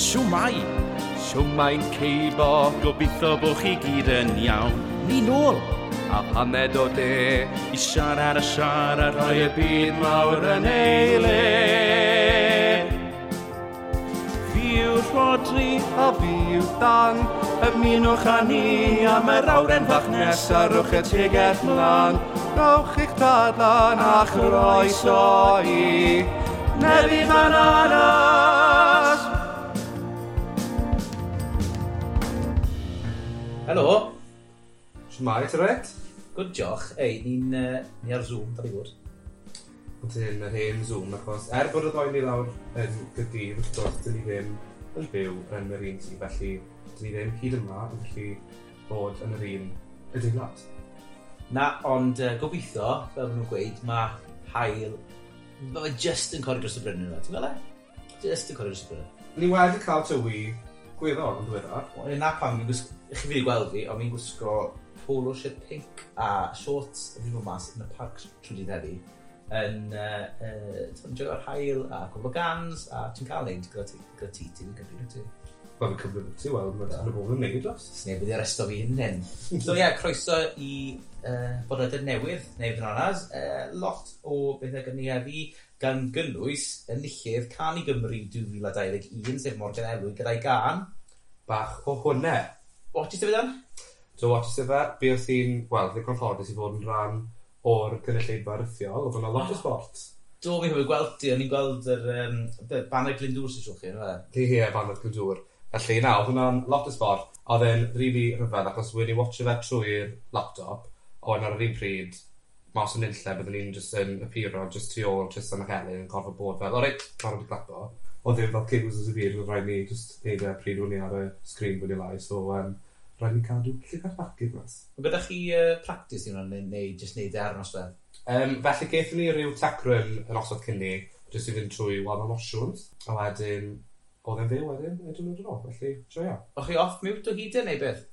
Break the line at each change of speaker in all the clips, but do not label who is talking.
Siwmai!
Siwmai ceibo.
Gobeithio bod chi gyd yn iawn. Ni nôl!
A paned o de.
I siarad a siarad
rhoi y byd mawr yn ei le. Fi yw Rhodri a fi yw Dan. Ymunwch â ni am yr awren fach nesaf, rhowch y tegell mlaen. Rhowch eich tadlan a chroeso i Neri Bananas!
Helo.
Shwmae, ti reit?
Good, diolch. Ei, ni'n ni ar Zoom, da ni fod.
Ydyn, yr hen Zoom, achos er bod y ddoi ni lawr yn Gaerdydd, wrth gwrs, dyn ni ddim yn byw yn yr un tŷ, felly dyn ni ddim hyd yma yn gallu bod yn yr un adeilad.
Na, ond gobeithio, fel maen nhw'n gweud, mae haul. Mae fe just yn codi dros y bryn yna, ti'n gweld e? Just yn codi dros y bryn.
Ni wedi cael tywi gweddol yn ddiweddar.
Wel, na pam, fi'n gwisgo, chi fi wedi gweld fi, ond fi'n gwisgo polo shirt pink a shorts, a fi'n bod mas yn y parc trwy dydd heddi, yn yn joio'r haul a cwbl o gans, a ti'n cael neud gyda ti, gyda ti, ti'n gyfri, wyt ti?
Wel, fi'n cymryd ti, wel, mae'n oh. bod yn neud os.
Sneb wedi arresto fi hyn hyn. So ie, yeah, croeso i bodlediad newydd, neu Bananas. Lot o bethau gyda ni heddi, gan gynnwys enillydd Cân i Gymru 2021, sef Morgan Elwy, gyda'i gân.
Bach o hwnne.
What ti sefyd dan?
So, what ti sefyd? Bues i'n, wel, ddigon ffodus i fod yn rhan o'r gynulleidfa rithiol, oedd yna lot o sport.
Do, fi'n cofio gweld ti, o'n i'n gweld yr Banner Glyndŵr sy'n siŵr chi, yna
fe? Ie, Banner Glyndŵr. Felly, na, oedd hwnna'n lot o sport. Oedd e'n rili rhyfedd, achos wedi watcho fe trwy'r laptop, ond ar yr un pryd, mas o'n unlle, byddwn ni'n just yn appearo, just tu ôl Tristan ac Elin yn gorfod bod fel, o reit, barod i clapo. Oedd ddim fel cues os y byd, oedd rhaid ni just neud e pryd o'n i ar y sgrin fwy neu lai, so rhaid ni cadw llygad bach i'r mas.
Ond gyda chi practice i hwnna, neu just neud e ar y noswaith?
Felly gaethon ni ryw tech run yn osod cyn ni, just i fynd trwy wahanol opsiwn, a wedyn, oedd e'n fyw wedyn, edrych yn ôl, felly, joio.
O'ch chi off mute o hyd e, neu beth?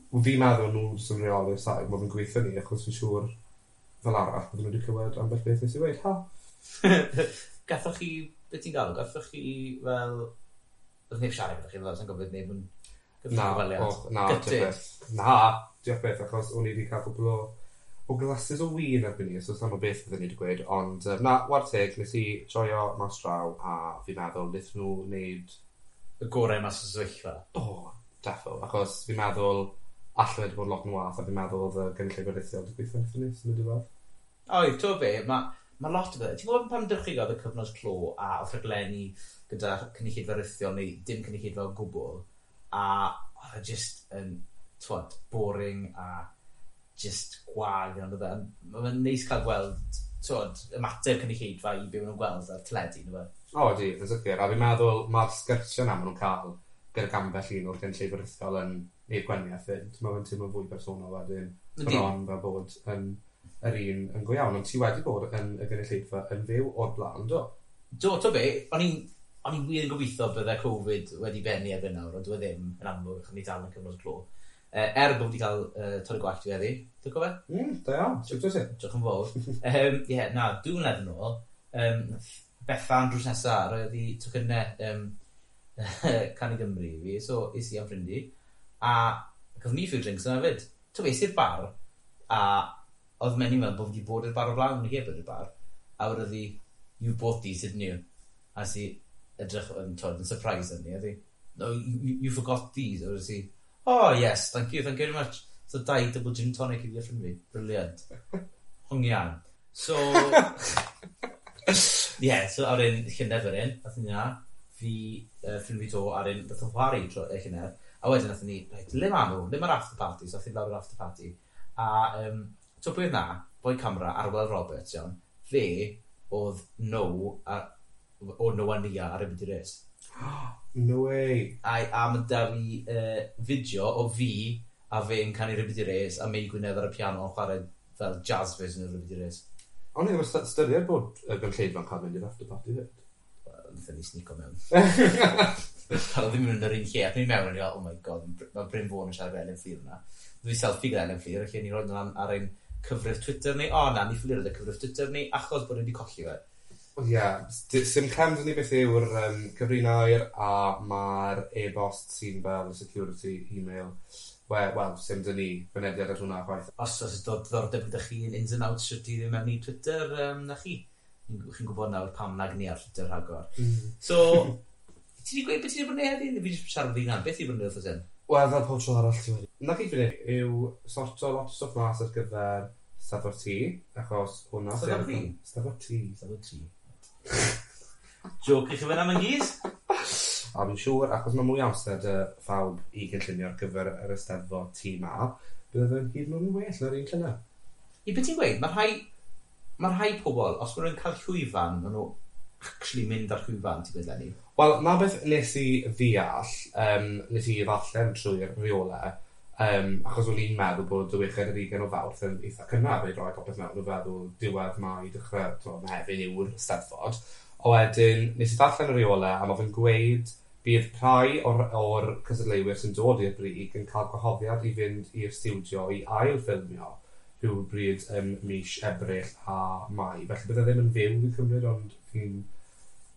Wel, fi'n meddwl nhw sy'n reoli'r saib, mae fe'n gweithio ni, achos fi'n siŵr fel arall, bydden nhw wedi clywed ambell beth nes i weud, ha!
Gathoch chi, beth ti'n galw, gathoch chi fel... Oedd neb siarad gyda chi, fel sy'n gofyd neb yn...
Na, na, diolch beth. Na, diolch beth, achos o'n i wedi cael cwpl o glasses o win erbyn ni, so sa'n o beth fydden ni wedi gweud, ond na, war teg, nes i joio mas draw, a fi'n meddwl wnaethon nhw wneud
y gorau mas o sefyllfa.
O, defo, achos fi'n meddwl allai wedi bod lot yn wath, a fi'n meddwl oedd y gynulleidfa rithiol wedi gweithio wrthyn ni, sy'n mynd i weld.
Oedd, ti'n be, mae lot o bethau. Ti'n gwybod pan dechreuodd y cyfnod clo a oedd rhaglenni gyda cynulleidfa rithiol neu dim cynulleidfa o gwbl, a oedd e just yn, twod, boring a just gwag, ond oedd e. Mae'n neis cael gweld, twod, ymateb cynulleidfa i be maen nhw'n gweld ar teledu, neu beth.
O, ydi, yn sicr. A fi'n meddwl mae'r sgyrsiau yna maen nhw'n cael gyda ambell un o'r gynulleidfa rithiol yn neud gwahaniaeth fyd. Mae'n teimlo'n fwy personol wedyn. Bron fel bod yn yr un yn go iawn. Ond ti wedi bod yn y gynulleidfa yn fyw o'r blaen, do?
Do, to be, o'n i'n wir yn gobeithio bydde Covid wedi bennu erbyn nawr, ond dyw e ddim yn amlwg, achos ni dal yn cyfnod clo. Er bod wedi cael torri gwallt fi heddi, ti'n cofio?
Da iawn, sut wyt ti?
Diolch yn fawr. Ie, na, 2 mlynedd yn ôl, Bethan drws nesa, roedd hi tocynnau Cân i Gymru i fi, so es i am ffrind i, a gaethon ni few drinks yna fyd. Ti'n es i'r bar, a oedd menyw meddwl bod fi wedi bod i'r bar o blaen, o'n i heb bod i'r bar, a wedodd hi, you bought these, didn't you? A nes i edrych yn, twod, yn surprise arni, a hi, no, you forgot these, a wedodd hi, oh yes, thank you, thank you very much. So 2 double gin tonic i fi a ffrind fi. Brilliant. Hongian. So, yeah, so ar un llynedd wedyn, nathon ni na, fi, ffrind fi to, ar un, nath o'n chwarae tro, llynedd, a wedyn nathon ni, right, le ma nhw, le ma'r after party, so nathon ni lawr yr after party, a so pwy oedd na, boi camera, Arwel Roberts, iawn, fe oedd no, a, o No a Nia ar y Byd Race.
No way.
A ma' 'da fi fideo o fi a fe'n canu Rhywbeth i Race a Mei Gwynedd ar y piano yn chwarae fel jazz version o Rhywbeth i Race.
O'n i ddim yn ystyried bod y gynulleidfa'n cael mynd i'r after party fyd.
Wel, wnaethon ni sneako mewn. Fel oedd ddim yn yr un lle, ac o'n i mewn, o'n i fel, oh my god, mae Bryn Fôn yn siarad efo Elin Fflur yna. Dwi selfie gyda Elin Fflur, felly ni roed hwnna ar ein cyfrif Twitter ni. O na, ni ffili roed y cyfrif Twitter ni, achos bod ni wedi colli fe.
Ie, yeah, sim clem 'da ni beth yw'r cyfrinair a mae'r e-bost sy'n fel security email. Wel, sim 'da ni fynediad at hwnna chwaith.
Os oes diddordeb gyda chi yn ins and outs shwt i ddim mewn i Twitter, na chi. Chi'n gwybod nawr pam nag ni ar Twitter rhagor. So, ti wedi gweud beth ti wedi bod yn neud heddi? Neu fi jyst siarad fi hunan? Beth ti wedi bod yn neud wrth hyn?
Wel, fel pob tro arall ti wedi. Na gyd fi'n neud yw sorto lot o stwff mas ar gyfer Steddfod T, achos hwnna...
Steddfod fi?
Steddfod T.
Steddfod T. Joke i chi fyna mewn gys?
A fi'n siŵr, achos mae mwy o amser 'da phawb i gynllunio ar gyfer yr Eisteddfod T 'ma, bydde fe'n hyd yn oed yn well na'r un llynedd.
I beth ti'n gweud, mae rhai pobl, os maen nhw'n cael llwyfan, maen nhw actually mynd ar llwyfan, ti'n gweud, Lenny?
Wel, na beth nes i ddeall, nes i ddarllen trwy'r rheolau, achos o'n i'n meddwl bod y 26 o Fawrth yn eitha cynnar i roi popeth mewn, o feddwl diwedd Mai, dechrau, t'mo, Mehefin yw'r Steddfod. A wedyn, nes i ddarllen y rheolau, a mae fe'n gweud bydd rhai o'r cystadleuwyr sy'n dod i'r brig yn cael gwahoddiad i fynd i'r stiwdio i ail-ffilmio rhywbryd ym mis Ebrill a Mai. Felly bydde ddim yn fyw fi'n cymryd, ond fi'n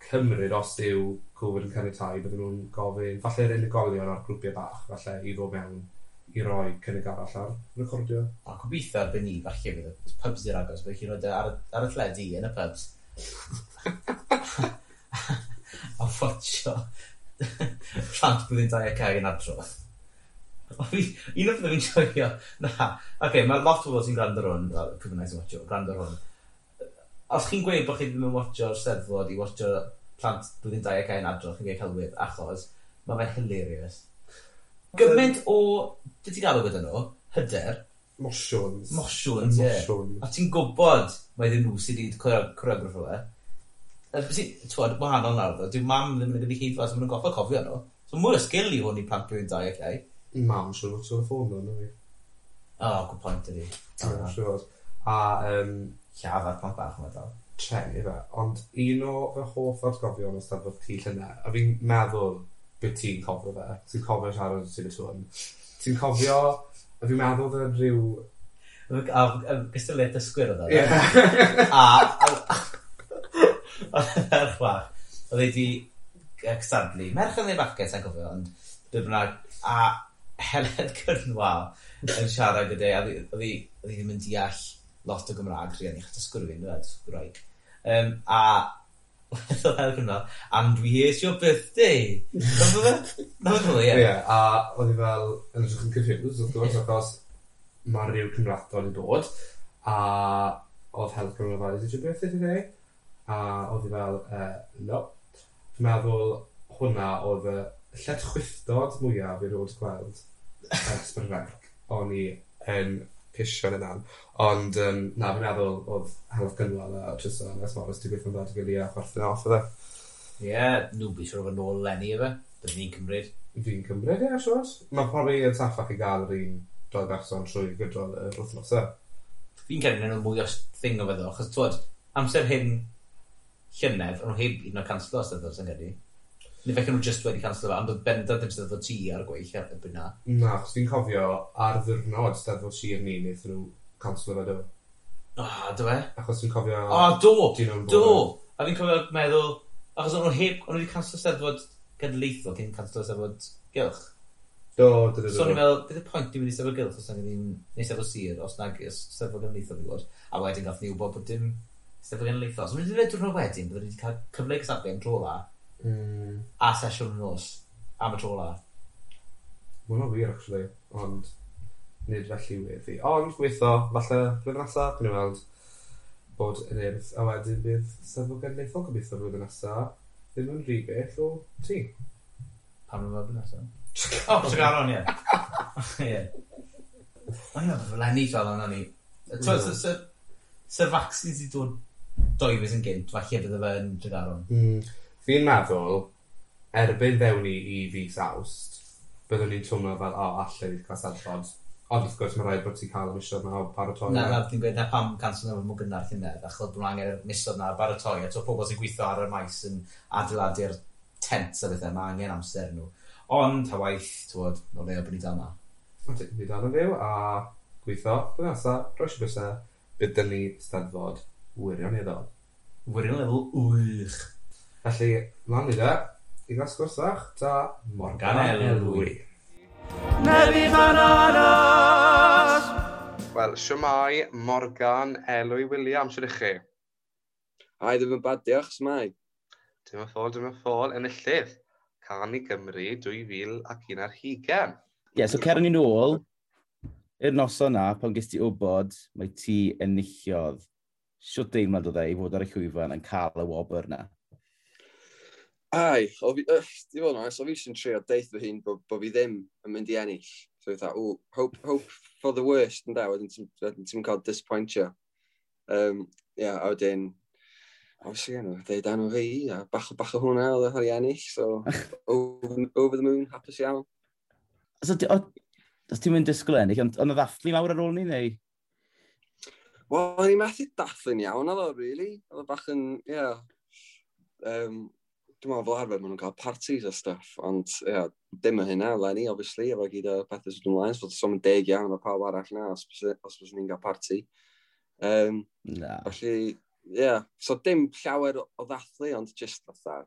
cymryd os yw Covid yn caniatáu, bydden nhw'n gofyn, falle'r unigolion a'r grwpiau bach, falle i ddod mewn i roi cynnig arall ar recordio.
A gobeithio erbyn ni, falle bydd y pubs i'r agos, bydd chi'n rhoi e ar y teledu yn y pubs. A ffotsio plant blwyddyn 2 ac yn adrodd. Un o'r pethau fi'n joio, na, oce, okay, mae lot o bobl sy'n gwrando ar hwn, wel, pwy bynnag sy'n watcho, gwrando ar hwn. Os chi'n gweud bod chi ddim yn watcho'r Steddfod i watcho plant blwyddyn 2 ac yn adrodd, chi'n gweud celwydd, achos mae fe'n hilarious. Gymaint o, beth ti'n galw gyda nhw? Hyder.
Mosiwns.
Mosiwns, ie.
Mosiwns.
A ti'n gwybod mai ddim nhw sydd wedi choreograffo fe. Ti'n wahanol nawr, ddo. Dyw mam ddim yn y gynulleidfa, so maen nhw'n gorfod cofio nhw. So mwy o sgil i hwn i plant blwyddyn 2 ac iau.
Mam, siŵr fod ti'n ffôn nhw, na fi.
Oh, good point ydi.
Siŵr fod. A
Lladd ar plant bach yma dal.
Treni fe, ond un o fy hoff atgofion o Steddfod T llynedd, a fi'n meddwl beth ti'n cofio fe, ti'n cofio siarad sy'n y sŵn. Ti'n cofio, a fi'n meddwl fe rhyw...
A gystadleuaeth dysgwyr oedd e.
Ie.
A oedd y ferch bach, oedd ei di cystadlu, merch yn ei bachgen, sa'n cofio, ond be bynnag, a Heledd Cynwal yn siarad gyda, a oedd hi ddim yn deall lot o Gymraeg, rhieni, achos dysgwyr fi, yndyfe, dysgwraig. A oedd Heledd Cynwal, "And we here's your birthday." Na fe? Na fe, ie.
Ie, a oedd hi fel yn edrych yn confused, wrth gwrs, achos mae rhyw Cymrathon i dod, a oedd Heledd Cynwal fel, "Is it your birthday today?" A oedd hi fel, "No." Fi'n meddwl hwnna oedd y lletchwithdod mwyaf i ddod gweld ers Brynrec. O'n i yn pisio yn yna. Ond na, fi'n meddwl oedd Heledd Cynwal a Tristan a Morris wedi gweithio'n dda 'da'i gilydd a chwerthin off oedd e.
Ie, nhw bys siŵr o fod nôl eleni efe. Byddwn ni'n cymryd.
Fi'n cymryd, ie, siŵr. Mae probably yn saffach i gael yr un doi berson trwy gydol yr wythnosau.
Fi'n credu nhw'n mwy o thing o fe ddo, achos twod, amser hyn llynedd, o'n nhw heb un o'r canslo Steddfod, sy'n credu. Neu felly nhw just wedi canslo fe, ond oedd bendant ddim Steddfod T ar y gweill ar y bryd na.
Na, achos fi'n cofio ar ddiwrnod Steddfod Sir ni, wnaethon nhw canslo fe do.
O, oh, do fe?
Achos fi'n cofio...
O, do!
Dyn nhw'n
Do! A fi'n cofio meddwl, achos o'n nhw heb, o'n nhw wedi canslo Steddfod genedlaethol cyn canslo Steddfod Gylch.
Do, do, do,
So o'n
do.
i'n meddwl, beth y pwynt ni'n mynd i Steddfod Gylch os nag ni'n, neu Steddfod Sir, os nag Steddfod Genedlaethol i fod. A wedyn gath ni wybod bod dim Steddfod Genedlaethol. So mynd i diwrnod wedyn, byddwn ni wedi cael cyfle i gystadlu am tro la, a sesiwn nos am y tro la.
Ma' hwnna'n wir, actually. Ond nid felly weddi. Ond gweithio, falle blwyddyn nesaf, gwni weld bod yn urdd. A wedyn bydd Steddfod Genedlaethol gobeithio blwyddyn nesaf ddim yn rhy bell o ti.
Pam nhw'n blwyddyn nesaf? O, Tregaron, ie. Ie. O'n i'n meddwl fel enni fel yna ni. Sy'r vaccines i dod 2 fis yn gynt, falle bydde fe yn Tregaron.
Fi'n meddwl, erbyn ddewn ni i fis Awst, byddwn ni'n twmlo fel, o, alle ni cael Steddfod. Ond wrth gwrs, mae rhaid bod ti'n cael y misoedd yna o baratoi.
Na, na, fi'n gweud na pam canslo nhw mor gynnar llynedd, achos bod nhw angen y misoedd na baratoi, a to pobl sy'n gweithio ar y maes yn adeiladu'r tents a bethau, mae angen amser nhw. Ond, ta waith, t'wod, o leia bod ni dal 'ma.
Na ti, fi dal yn fyw a gweithio, blwyddyn nesaf, rhoes i bysau, bydd dyn ni Steddfod wirioneddol.
Wirioneddol wych.
Felly, mlaen ni da, i gael sgwrs fach da
Morgan Elwy.
Nefi Bananas!
Wel, siwmai Morgan Elwy Williams, siwr i chi?
Ai, ddim yn bad, diolch, smai.
Dim yn ffôl, dim yn ffôl, enillydd. Can i Gymru 2021.
Ie, yeah, so cer ni nôl i'r noson na, pan ges ti wybod mae ti enillodd. Siwt deimlad oedd e i fod ar y llwyfan yn cael y wobr na?
Ai, o fi, di fod yn onest, o fi jyst yn trio deith fy hun bo fi ddim yn mynd i ennill. So fatha, oh, hope for the worst, ynde, wedyn ti'n cael disappointio. Yeah, a wedyn, obviously, you know, deud enw fi, a bach o hwnna oedd e i ennill, so over the moon, hapus iawn.
So, os ti'n mynd disgwyl ennill, ond oedd ddathlu mawr ar ôl ni, neu?
Wel, o'n i'n methu dathlu'n iawn, oedd o, really. Oedd o bach yn, yeah. Dwi'n meddwl fel arfer maen nhw'n cael parties a stuff, ond yeah, dim yn hynna, eleni, obviously, efo gyd o pethau sydd ymlaen, so so'n deg iawn o pawb arall na, os bys ni'n cael party.
Na.
Felly, yeah, so dim llawer o ddathlu, ond just fatha,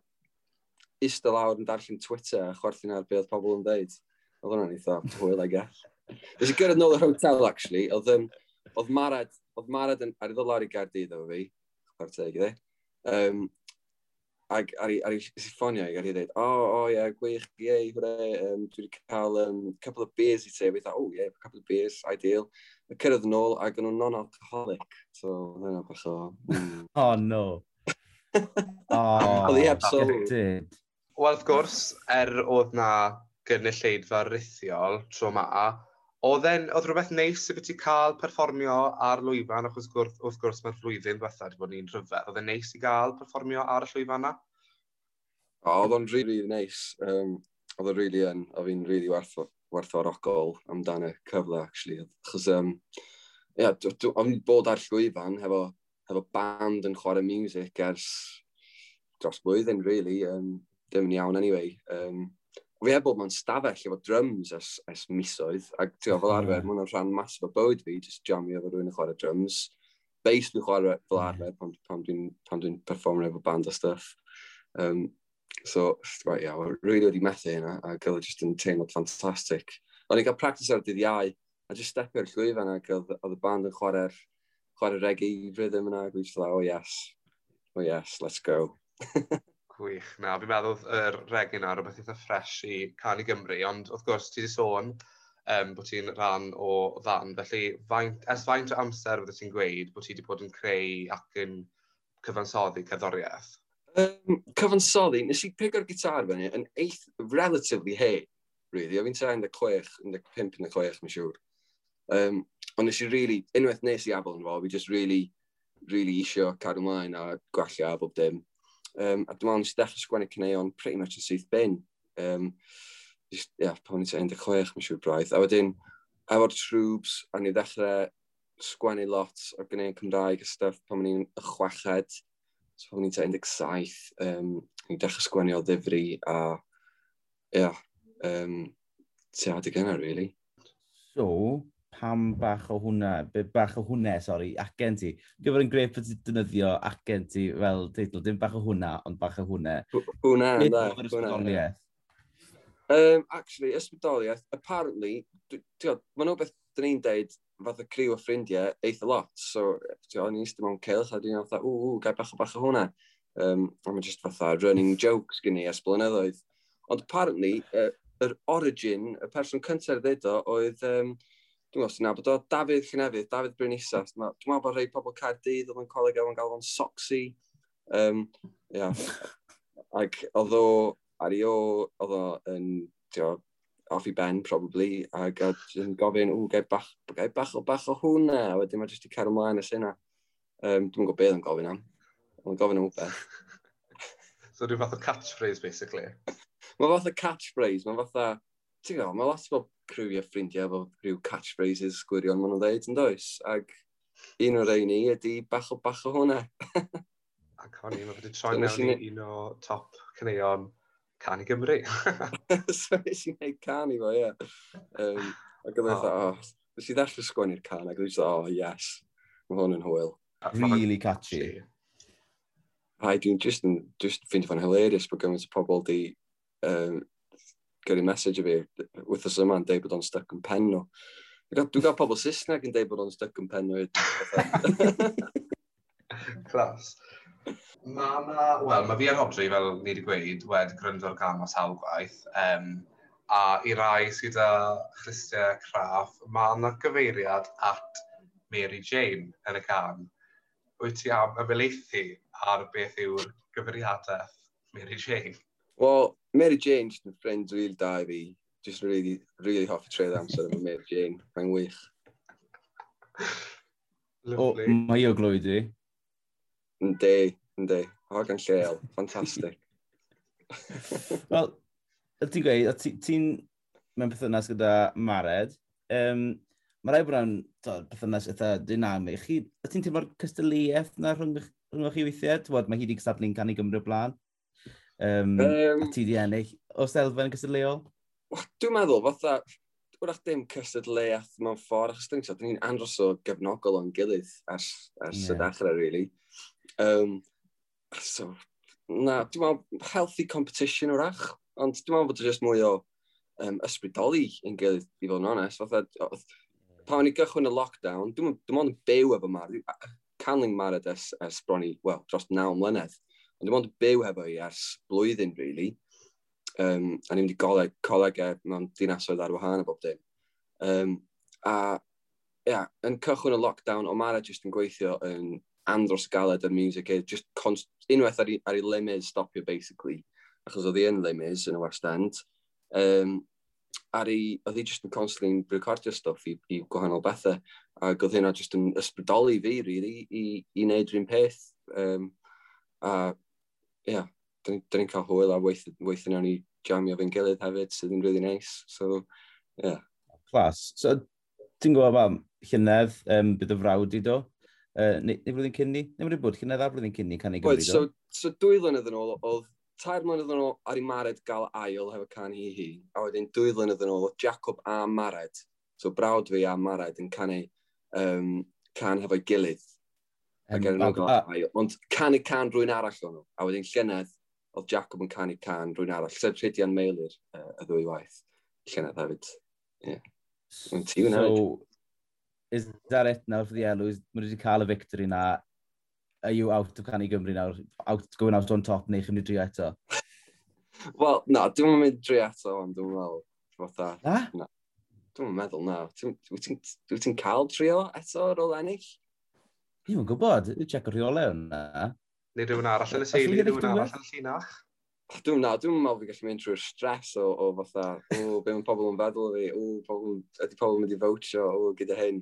eistedd lawr yn darllen Twitter a chwerthin ar be oedd pobl yn dweud. Oedd hwnna'n eitha hwyl, I guess. Nes i gyrraedd nôl yr hotel, actually, oedd Mared yn, ar i ddod lawr i Gaerdydd efo fi, chwarae teg iddi. Ac ar i ffonio i, ar i dweud, oh, yeah, gwych, yay, hooray, dwi wedi cael couple of beers i te. Fi dweud, oh, yeah, couple of beers, ideal. A cyrraedd yn ôl, ac o'n nhw'n non-alcoholic. So, oedd hynna bach o...
Oh, no. Oh,
Oedd hi heb sylw.
Gutted.
Wel, wrth gwrs, oedd na gynulleidfa rithiol tro ma, oedd rhywbeth neis i ti cael perfformio ar lwyfan, achos wrth gwrs mae'r flwyddyn diwetha wedi bod yn un rhyfedd. Oedd e'n neis i gael perfformio ar y llwyfan na?
O, oedd o'n really, really neis. Oedd o'n really yn, oedd fi'n really werthfawrogol amdano y cyfle, actually. Achos, yeah, o'n i'n bod ar llwyfan hefo band yn chwarae music ers dros blwyddyn, really. Dim yn iawn, anyway. Fi heb bod mewn stafell efo drums ers misoedd, ac ti'n gwbod, fel arfer, mae hwnna'n rhan masif o bywyd fi, just jamio efo rhywun yn chwarae drums. Bass dwi'n chwarae fel arfer pan dwi'n perfformio efo band a stuff. So, right, yeah, well, really wedi methu hynna, ac oedd e just yn teimlo ffantastig. O'n i'n cael practice ar dydd Iau, a just stepio ar llwyfan, ac oedd y band yn chwarae reggae rhythm yna, ac dwi'n just like, oh yes, let's go.
Gwych. Na, fi'n meddwl yr reggae na, rhywbeth eitha fresh i Can i Gymru, ond wrth gwrs ti wedi sôn bod ti'n rhan o fan, felly ers faint o amser fydde ti'n gweud bod ti wedi bod yn creu ac yn cyfansoddi cerddoriaeth?
Cyfansoddi, nes i pigo'r gitar fyny yn relatively hen, really. O fi'n tua 16, 15, 16, mae'n siŵr. Ond nes i really, unwaith nes i afel yn fo, fi just really, really isio cadw ymlaen a gwella a bob dim. A dwi'n meddwl nes i ddechrau sgwennu caneuon pretty much yn syth bin. Just, yeah, pan o'n i'n tua 16, mae'n siŵr braidd. A wedyn, efo'r Trwbs, a ni ddechrau sgwennu lot o ganeuon Cymraeg a stuff pan o'n i'n y chweched. So pan o'n i'n tua 17, ni dechrau sgwennu o ddifri a, yeah, tua adeg yna, really.
So, pam bach o hwnna, bach o hwnna, sorry, acen ti. Gyfer yn grêt bod ti'n defnyddio acen ti fel teitl, dim bach o hwnna, ond bach o hwnna.
Hwnna,
Beth
ynde,
oedd yr
hwnna.
ysbrydoliaeth?
Actually, ysbrydoliaeth, apparently, ti'n ma'n beth dyn ni'n deud, fath o criw o ffrindiau, eitha lot. So, ti'n o'n i'n eistedd mewn cylch, a dwi'n fatha, ww, gai bach o hwnna. A mae'n just fatha running jokes gen i ers blynyddoedd. Ond apparently, yr origin, y person cyntaf ddeud o, oedd, dwi'n gwybod os ti'n nabod o, Dafydd Llynefydd, Dafydd Bryn Isa. Dwi'n meddwl bod rhai pobl Caerdydd oedd yn coleg efo'n galw fo'n Soxy. Yeah. Ac oedd o, ar ei o, oedd o yn, ti'n gwbod, off i ben, probably, ac yn gofyn, ww, gai bach o hwnna, a wedyn mae jyst i cario ymlaen ers hynna. Dwi'm yn gwybod beth yn gofyn am. Mae'n gofyn am wbeth.
So rhyw fath o catchphrase, basically.
Mae fath o catchphrase, mae fatha, ti'n gwybod, mae lot o criw o ffrindiau efo rhyw catchphrases gwirion maen nhw'n dweud, yn does? Ac un o'r rheini ydy bach o hwnna.
Ac o'n i, mae wedi troi
So nes
mewn
i
i un o top caneuon Can i Gymru.
So nes i wneud can i fo, ie. Ac oedd e fatha, oh, nes i ddechrau sgwennu'r can, ac oedd e oh, yes, mae hwn yn hwyl.
Really catchy.
Ai, dwi'n just ffeindio fo'n hilarious bod gymaint o pobl di gyrru message i fi wythnos yma yn deud bod o'n stuck yn pen nhw. Dwi'n gael pobl Saesneg yn deud bod o'n stuck yn pen nhw.
Class. Wel, mae fi a Rodri, fel ni wedi gweud, wedi gwrando ar gân o sawl gwaith. A i rai sydd â chlustiau craff, mae yna gyfeiriad at Mary Jane yn y gân. Wyt ti am ymhelaethu ar beth yw'r gyfeiriadaeth Mary Jane?
Wel, Mary Jane just yn ffrind really da i fi. Just really, really hoffi treulio amser efo Mary Jane. Mae'n wych.
O,
Lovely.
mae o Glwyd i.
Yndi, yndi. Hogan lleol. Fantastic.
Wel, ti'n gweud, o ti'n mewn perthynas gyda Mared. Mae rhaid bod nhw'n perthynas eitha dynamig. Chi, ti'n teimlo'r cystadleuaeth na rhwng chi weithiau? T'wod, mae hi wedi cystadlu'n Cân i Gymru o blaen. A ti di ennill. Oes elfen cystadleuol?
Wel, dwi'n meddwl, fatha, wrach dim cystadleuaeth mewn ffordd, achos dyn ni'n andros o gefnogol o'n gilydd ers y dechrau, really. So, na, dwi'n meddwl, healthy competition wrach, ond dwi'n meddwl bod o just mwy o ysbrydoli yn gilydd, i fod yn onest. Fatha, pan o'n i gychwyn y lockdown, dwi'n ond yn byw efo Mared. Canling Mared ers bron i, wel, dros 9 mlynedd. Ond dwi'n ond yn byw efo hi ers blwyddyn, really. A ni'n mynd i coleg e mewn dinasoedd ar wahân a bob dim. A, ia, yeah, yn cychwyn y lockdown, o Mared just yn gweithio yn andros galed ar music, e, just unwaith ar ei Les Mis stopio, basically, achos oedd hi yn Les Mis yn y West End. Oedd hi just yn constantly recordio stuff i gwahanol bethau, ac oedd hynna just yn ysbrydoli fi, really, i wneud rhywun peth. A, ia, yeah, dyn ni'n cael hwyl a weithio nawn ni jamio fe'n gilydd hefyd, sydd yn really nice. So, yeah.
Class. So, ti'n gwybod am llynedd, bydd y frawd i do? Neu flwyddyn cyn ni? Neu wedi bod llynedd a blwyddyn cyn ni Cân i Gymru,
Wait,
do?
So 2 flynedd yn ôl, oedd 3 mlynedd yn ôl ar i Mared gael ail hefo Cân Hi Hi, a wedyn 2 flynedd yn ôl oedd Jacob a Mared, so brawd fi a Mared yn canu cân hefo'i gilydd. Ac er nhw gael ail, ond canu cân rhywun arall o'n nhw. A wedyn llynedd, oedd Jacob yn canu cân rhywun arall, sef Rhydian Meilir y ddwy waith. Llynedd hefyd. Ie. Yeah.
So, is that it now for the Elws? Mae wedi cael y victory na. Are you out of Cân i Gymru nawr? Going out on top neu chi'n mynd i drio eto?
Wel, na, dwi'n mynd drio eto, ond dwi'n meddwl, fatha.
Na?
Na. Dwi'n meddwl, na. Wyt ti'n cael trio eto ar ôl ennill?
Dwi'n gwybod, dwi'n check o rheolau hwnna.
Neu rhywun arall yn y teulu, rhywun arall yn y llinach?
Dwi'n na, dwi'n meddwl fi gallu mynd trwy'r stress o fatha, o, be mae pobl yn feddwl o fi, o, pobl, ydy pobl yn mynd i votio, o, gyda hyn.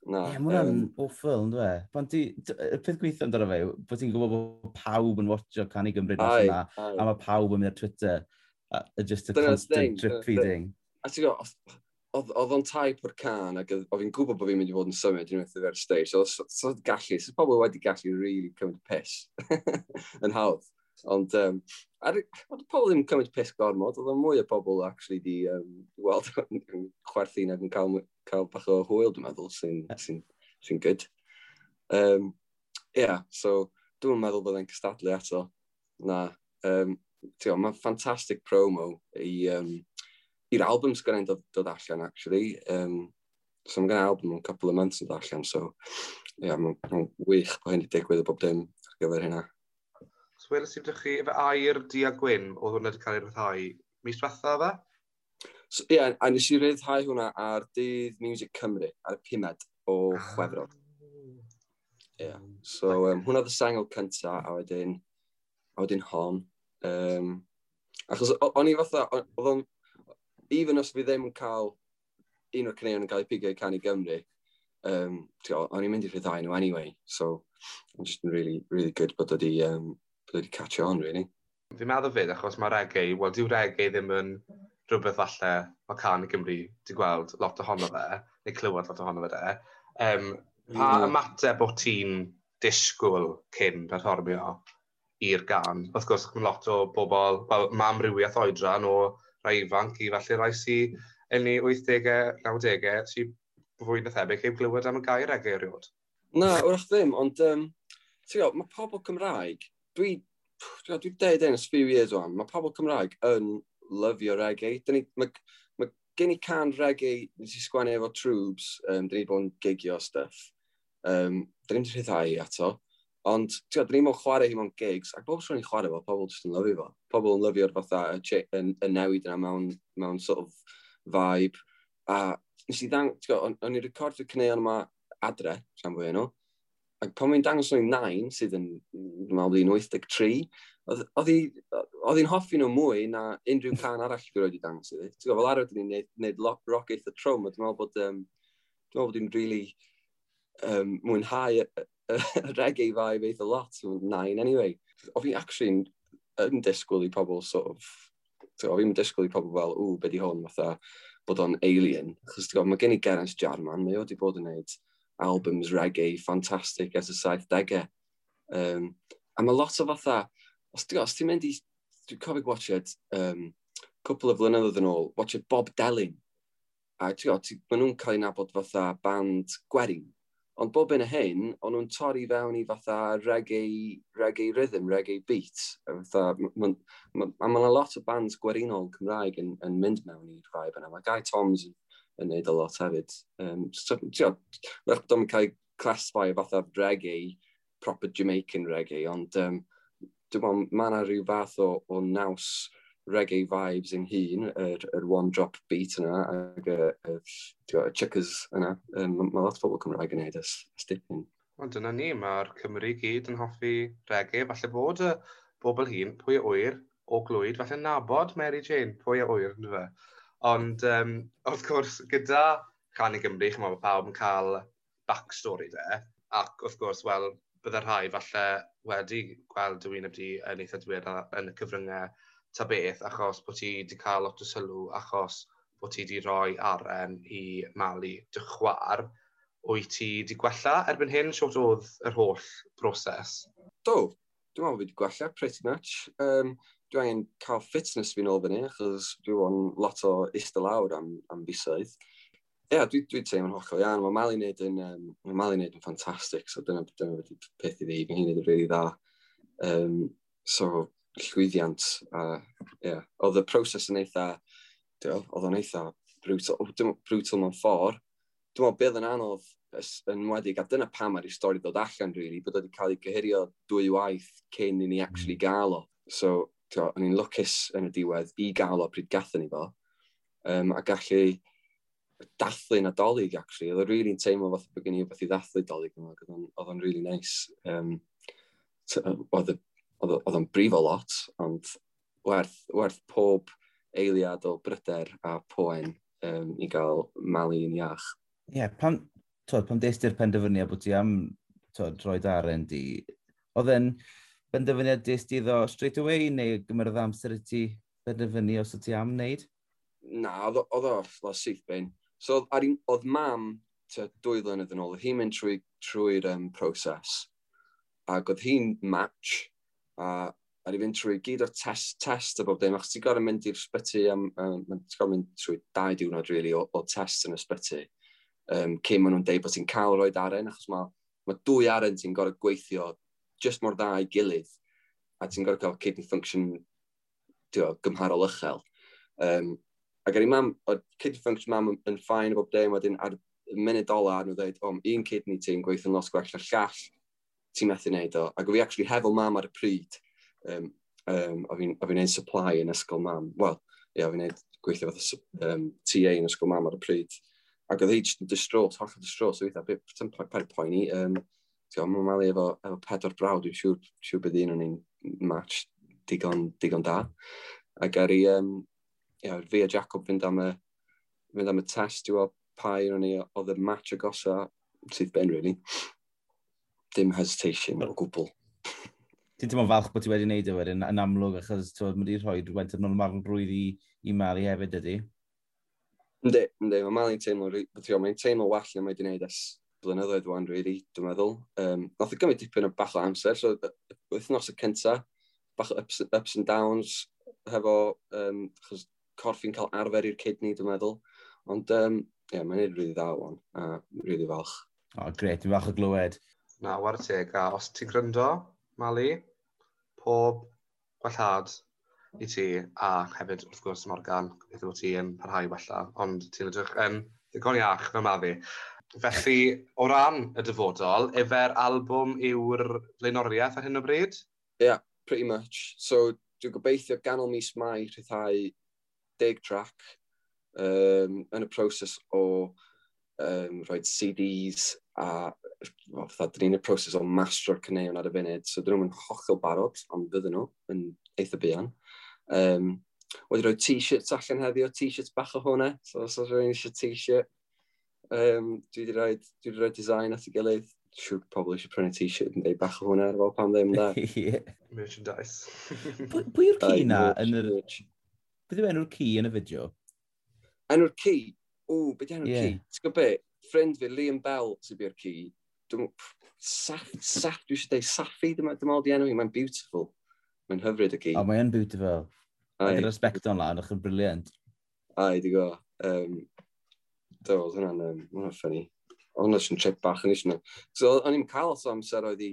Na. Ie, yeah, mae hwnna'n awful, ynddo e? Pan ti, y peth gweithio amdano fe yw bod ti'n gwybod bod pawb yn watcho Cân i Gymru dros yna, a mae pawb yn mynd ar Twitter, a just a constant drip feeding.
A ti'n gwybod, oedd o'n type o'r cân, ac oedd fi'n gwybod bod fi'n mynd i fod yn symud unwaith i ar stage, so pobl wedi gallu really cymryd piss yn hawdd. Ond oedd pobl ddim yn cymryd piss gormod, oedd mwy o pobl actually di weld yn chwerthin ac yn cael bach o hwyl, dwi'n meddwl, sy'n good. Yeah, so dwi'n meddwl bod e'n cystadlu eto. Na, mae'n ffantastic promo i'r album sy'n dod allan, actually. So mae gen album yn couple of months yn dod allan, so yeah, mae'n ma wych bod hyn wedi digwydd o bob dim ar gyfer hynna.
So weles i ydych chi, efo air du a gwyn, oedd hwnna wedi cael ei ryddhau mis diwetha fe?
So, ie, yeah, a nes i ryddhau hwnna ar Dydd Music Cymru, ar y 5 o Chwefror. Ie. Yeah. So, hwnna oedd y sengl cynta, a wedyn hon. Achos o'n i fatha, oedd o'n, even os fi ddim yn cael un o'r caneuon yn cael ei pigo i Cân i Gymru, o'n i'n mynd i rhyddhau nhw anyway. So, I'm just really, really good bod wedi catch on, really.
Fi'n meddwl fyd, achos mae reggae, wel, dyw reggae ddim yn rhywbeth falle mae Cân i Gymru di gweld lot ohono fe, neu clywed lot ohono fe de. Pa ymateb o ti'n disgwyl cyn perfformio i'r gân? Wrth gwrs, mae lot o bobl, wel, mae amrywiaeth oedran o rai ifanc i falle rai sy'n yn ei 80au, 90au, sy'n fwy na thebyg heb glywed am y gair reggae erioed.
Na, wrach ddim, ond ti'n gwybod, mae pobl Cymraeg Dwi deud hyn ers few years o'n, mae pobl Cymraeg yn lyfio reggae. Mae gen i can reggae nes i sgwennu efo Trwbs, dyn ni bod yn gigio stuff. Dyn ni'n rhyddhau ato. Ond, ti'n gwybod, dyn ni'n chwarae hi mewn gigs, ac bob tro ni'n chwarae fo, pobl jyst yn lyfio fo. Pobl yn lyfio'r fatha y newid yna mewn sort of vibe. A nes i ddang, ti'n gwybod, o'n i'n recordio caneuon yma adre, rhan fwy nhw. Ac pan mae'n dangos nhw'n nain, sydd yn, dwi'n meddwl, hi'n 83, oedd hi'n hoffi nhw mwy na unrhyw can arall dwi wedi dangos iddi. Ti'n gwybod, fel arfer, dyn ni'n neud rock eitha trwm, a dwi'n meddwl bod hi'n really mwynhau y reggae vibe eitha lot, nain anyway. Oedd fi'n actually yn disgwyl i pobl sort of, ti'n gwybod, fi'n disgwyl i pobl fel, "Ww, be di hwn?" fatha bod o'n alien. Achos ti'n gwybod, mae gen i Geraint Jarman, mae o wedi bod yn neud albums reggae ffantastig ers y 70au. A mae lot o fatha, os ti'n os ti'n mynd i, dwi'n cofio watched cwpl o flynyddoedd yn ôl, watched Bob Delyn. A ti'n gwybod, maen nhw'n cael ei nabod fatha band gwerin. Ond bob un o hyn, o'n nhw'n torri fewn i fatha reggae, reggae rhythm, reggae beat. A fatha, a ma' 'na lot o bands gwerinol Cymraeg yn mynd mewn i'r vibe yna. Mae Guy Toms yn neud a lot hefyd. So, ti'n gwybod, wrach bod o'n cael ei classify fatha reggae, proper Jamaican reggae, ond dwi'n meddwl mae yna rhyw fath o naws reggae vibes yn hun, yr one drop beat yna, ac y, ti'n gwbod, y chuckers yna. Mae lot o bobl Cymraeg yn neud ers dipyn.
Wel, dyna ni, mae'r Cymru gyd yn hoffi reggae. Falle bod y bobl hyn, pwy a ŵyr, o Glwyd, falle nabod Mary Jane, pwy a ŵyr, ynddo fe. Ond, wrth gwrs, gyda Cân i Gymru, chymod, mae pawb yn cael backstory de. Ac, wrth gwrs, wel, bydde rhai falle wedi gweld dy wyneb di yn eitha diweddar yn y cyfryngau ta beth, achos bod ti wedi cael lot o sylw, achos bod ti wedi rhoi aren i Mali dy chwaer. Wyt ti wedi gwella erbyn hyn? Shwt oedd yr holl broses?
Do, dwi'n meddwl fi wedi gwella, pretty much. Dwi angen cael fitness fi'n ôl fyny, achos dwi wedi lot o eistedd lawr am fisoedd. Ie, yeah, dwi teimlo'n hollol iawn. Mae Mali wneud yn ffantastig, so dyna wedi peth i fi. Mae hi'n neud yn really dda. So, llwyddiant. A, yeah. Oedd y proses yn eitha, oedd o'n eitha brutal, dim brutal mewn ffordd. Dwi'n meddwl beth yn anodd yn wedig, a dyna pam ar ei stori ddod allan, really, bod o wedi cael ei gyhirio dwy waith cyn i ni actually gael o. So, ti'n gwbod, o'n i'n lwcus yn y diwedd i gael o pryd gathon ni fo. A gallu dathlu Nadolig, actually. Oedd o'n really'n teimlo fatha bod gen i rhywbeth i ddathlu Dolig yma, ac oedd o'n really nice. Oedd o'n brifo lot, ond werth pob eiliad o bryder a poen i gael Mali yn iach.
Ie, yeah, twod, pan des ti'r penderfyniad bod ti am, twod, rhoi aren di, oedd e'n benderfyniad des ti iddo straight away, neu gymerodd amser i ti benderfynu os o ti am wneud?
Na, oedd o syth bin. So, oedd mam tua 2 flynedd yn ôl, oedd hi'n mynd trwy'r proses, ac oedd hi'n match, a ar i fynd trwy gyd o'r test a bob dim, achos ti'n gorfod mynd i'r sbyty ti'n gorfod mynd trwy 2 diwrnod, really, o test yn y sbyty, cyn maen nhw'n deud bod ti'n cael rhoi aren, achos mae dwy aren ti'n gorfod gweithio just mor dda i gilydd, a ti'n gorfod cael kidney function, ti'n gwbod, gymharol uchel. Ac ar ei mam, oedd kidney function mam yn fine a bob dim, wedyn ar y munud ola, nhw dweud, "O, un kidney ti'n gweithio'n lot gwell na'r llall, ti'n methu wneud o." Ac o fi actually hefo mam ar y pryd, o fi'n neud supply yn ysgol mam. Wel, ie, o fi'n neud gweithio fatha TA yn ysgol mam ar y pryd. Ac oedd hi jyst yn distraught, hollol distraught, so weithiau, ti'n paid poeni. Ti'n gwbod, mae Mali efo pedwar brawd, dwi'n siŵr bydd un o'n ni'n match digon da. Ac ar i, yeah, fi a Jacob fynd am y test i weld pa un o'n ni oedd y match agosa, syth bin, really. Dim hesitation o gwbl.
Ti'n teimlo'n falch bod ti wedi wneud e wedyn, yn amlwg, achos twod, mae wedi rhoi rhywfaint o normalrwydd i Mali hefyd, ydy?
Yndi, mae Mali'n teimlo, mae'n teimlo well na mae wedi gwneud ers blynyddoedd wan, really, dwi'n meddwl. Nath o gymryd dipyn o bach o amser, so wythnos y cynta, bach o ups and downs hefo, achos corff fi'n cael arfer i'r kidney, dwi'n meddwl. Ond, yeah, mae'n neud really dda wan, a really falch.
O, oh, gret, dwi'n falch o glywed.
Na, whare teg, a os ti'n gryndo, Mali, Pob gwellhad i ti, a hefyd, wrth gwrs, Morgan, gobeithio bod ti yn parhau wella, ond ti'n edrych yn ddigon iach fel ma fi. Felly, o ran y dyfodol, efe'r albwm yw'r flaenoriaeth ar hyn o bryd?
Yeah, pretty much. So, dwi'n gobeithio ganol mis Mai rhyddhau 10 track yn y proses o rhoi CDs a, well, fatha, dyn ni'n y proses o mastero'r caneuon ar y funud, so dyn nhw'n hollol barod, ond fydden nhw yn eitha buan. Wedi rhoi t-shirts allan heddiw, t-shirts bach o hwnna, so os oes rhywun eisiau t-shirt, dwi wedi rhoi design at ei gilydd. Siŵr pobl eisiau prynu t-shirt yn dweud bach o hwnna, ar fel pam ddim da.
Ie.
Merchandise.
Pwy yw'r ci na
Aye,
yn yr
merch.
Beth yw enw'r ci yn y fideo?
Enw'r ci? O, beth yw enw'r
Ie.
ci? Ti'n gwybod be? Ffrind fi, Liam Bell, sy'n bu'r ci. Dwi'n Saff, Saff, dwi eisiau dweud Saffi, dwi'n meddwl di enw hi, mae'n beautiful. Mae'n hyfryd y ci.
O, mae'n beautiful.
Aye,
Mae'n respect o'n lan, yn brilliant.
Aye, di go. Do, oedd hwnna'n funny. Oedd hwnna'n jyst yn trip bach yn eisiau. So, o'n i'n cael lot o amser oedd i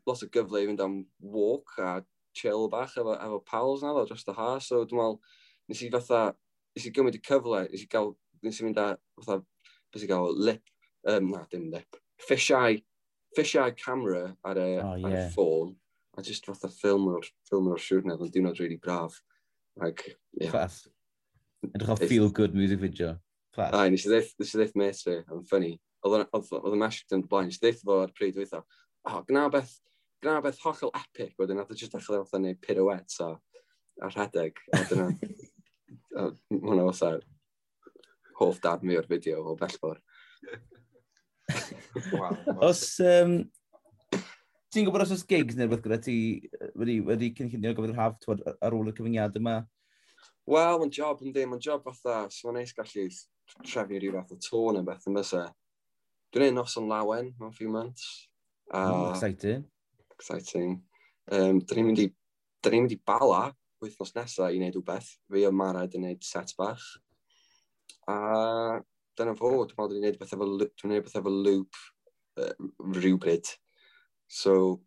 lot o gyfle i fynd am walk a chill bach efo pals na ddo dros y ha. So, dwi'n meddwl, nes i fatha, nes i gymryd y cyfle, nes i fynd â fatha, beth i gael, lip, na, dim lip, fish eye camera ar y,
Oh,
ar y
ie.
ffôn, a just fatha ffilm o'r siwrne, oedd yn diwrnod really braf. Like, yeah.
Class. Edrych o feel good music video. Class.
Ai, nes i ddeith mate fi, oedd yn funny. Oedd y message yn blaen, nes i ddeith fo ar pryd weithio, oh, gna beth hollol epic, wedyn nath o just dechrau fatha neud pirouettes a rhedeg, a dyna, a hwnna fatha hoff darn mi o'r fideo o bellfor.
Wow.
Os, ti'n gwybod os oes gigs neu rhywbeth gyda ti wedi cynllunio ar gyfer yr haf, t'wod, ar ôl y cyfyngiad yma?
Wel, mae'n job yn ddim, mae'n job fatha, so mae'n neis gallu trefnu rhyw fath o tour neu beth yn bysa. Dwi'n neud Noson Lawen mewn few months. A,
Oh, exciting.
Exciting. Dyn ni'n mynd i Bala wythnos nesaf i wneud rhywbeth. Fi a Mared yn wneud set bach. A dyna fo, dwi'n meddwl dwi'n neud beth efo Loop rhywbryd. So,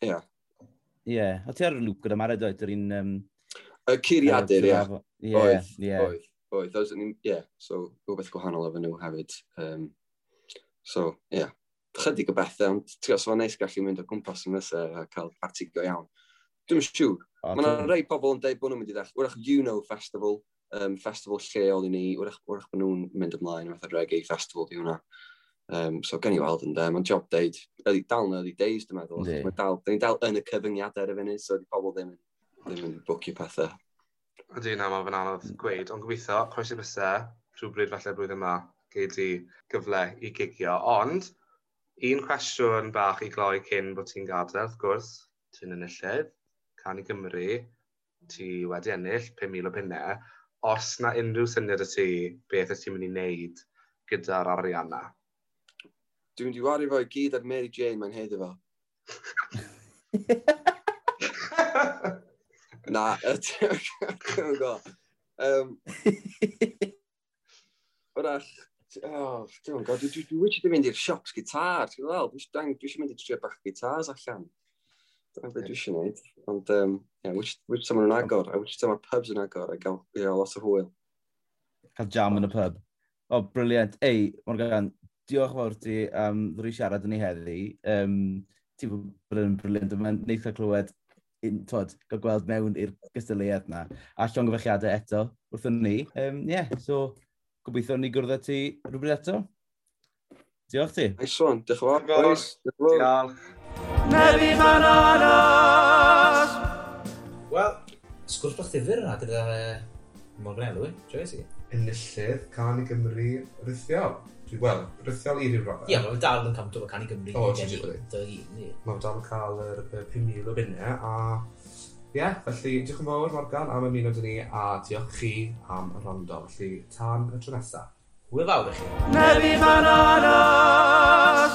yeah.
Ie. Yeah. O ti ar y Loop gyda Mared oedd, yr un
Y Curiadur, ie.
Ie,
Oedd,
ie.
oedd. Ie, so rhywbeth gwahanol efo nhw hefyd. So, ie. Yeah. Chydig o bethau, ond ti'n gwybod, so fo'n neis gallu mynd o gwmpas yn nesaf a cael parti go iawn. Dwi'n siŵr.
O,
Mae yna rei pobl yn dweud bod nhw'n mynd i ddechrau. Wrach Uno Festival, festival lleol i ni, wrach bod nhw'n mynd ymlaen, fatha reggae festival di hwnna. So gen i weld yn de, mae'n job deud, early, dal yn early days dwi'n meddwl.
Yndi.
Mae dal, dyn ni dal yn y cyfyngiadau ar y funud, so di pobl ddim yn bwcio pethau.
Ydy, na, mae fe'n anodd gweud, ond gobeithio, croesi bysau, rhywbryd falle blwyddyn yma, gei di gyfle i gigio. Ond, un cwestiwn bach i gloi cyn bod ti'n gadael, wrth gwrs, ti'n enillydd, Cân i Gymru, ti wedi ennill 5,000 o bunnau. Os na unrhyw syniad y ti, beth ydych ti'n mynd i wneud gyda'r arian na?
Dwi'n mynd i wario fo i gyd ar Mary Jane, mae'n haeddu fo. Na, dwi'n gwybod. Wrach, oh, dwi'n gwybod, dwi wedi mynd i'r shops gitar, ti'n gweld? Dwi eisiau mynd i trio bach gitars allan. Dyna beth dwi eisiau gwneud. Ond, yeah, which time maen nhw'n agor, a which time mae'r pubs yn agor, a gael, yeah, lot o hwyl.
Cael jam yn y pub. O, oh, brilliant. Ei, Morgan, diolch fawr ti am ddod i siarad yn ei heddi. Ti'n bod yn brilliant. Mae'n neis cael clywed, twod, cael gweld mewn i'r gystadleuaeth na. A llongyfarchiadau eto wrthon ni. Yeah, so gobeithio ni gwrdd â ti rhywbryd eto. Diolch ti.
Nice one, diolch yn fawr,
Diolch.
boys. Diolch yn fawr.
Diolch.
Neri Bananas!
Wel, sgwrs bach ddifyr yna gyda Morgan Elwy, joyous i.
Enillydd Cân i Gymru rithiol. Wel, rithiol i ryw raddau.
Ie, mae dal yn count o Cân i Gymru.
O, ti di.
Dy un,
Mae dal yn cael yr 5,000 o bunnau a ie, yeah, felly diolch yn fawr Morgan am ymuno 'da ni a diolch chi am y wrando. Felly tan y tro nesaf.
Hwyl fawr i chi.
Neri Bananas!